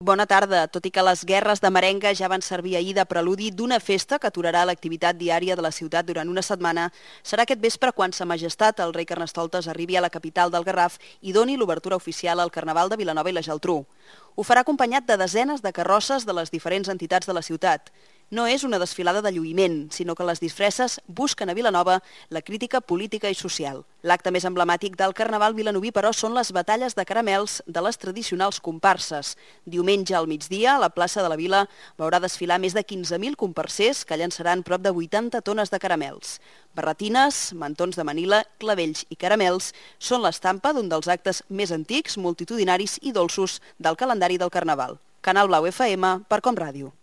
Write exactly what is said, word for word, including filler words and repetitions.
Bona tarda. Tot i que les guerres de merenga ja van servir ahir de preludi d'una festa que aturarà l'activitat diària de la ciutat durant una setmana, serà aquest vespre quan Sa Majestat, el rei Carnestoltes, arribi a la capital del Garraf i doni l'obertura oficial al Carnaval de Vilanova i la Geltrú. Ho farà acompanyat de desenes de carrosses de les diferents entitats de la ciutat. No és una desfilada de lluïment, sinó que les disfresses busquen a Vilanova la crítica política i social. L'acte més emblemàtic del Carnaval vilanoví, però, són les batalles de caramels de les tradicionals comparses. Diumenge al migdia, a la plaça de la Vila, veurà desfilar més de quinze mil comparsers que llançaran prop de vuitanta tones de caramels. Barretines, mantons de Manila, clavells i caramels són l'estampa d'un dels actes més antics, multitudinaris i dolços del calendari del Carnaval. Canal Blau F M per Com Ràdio.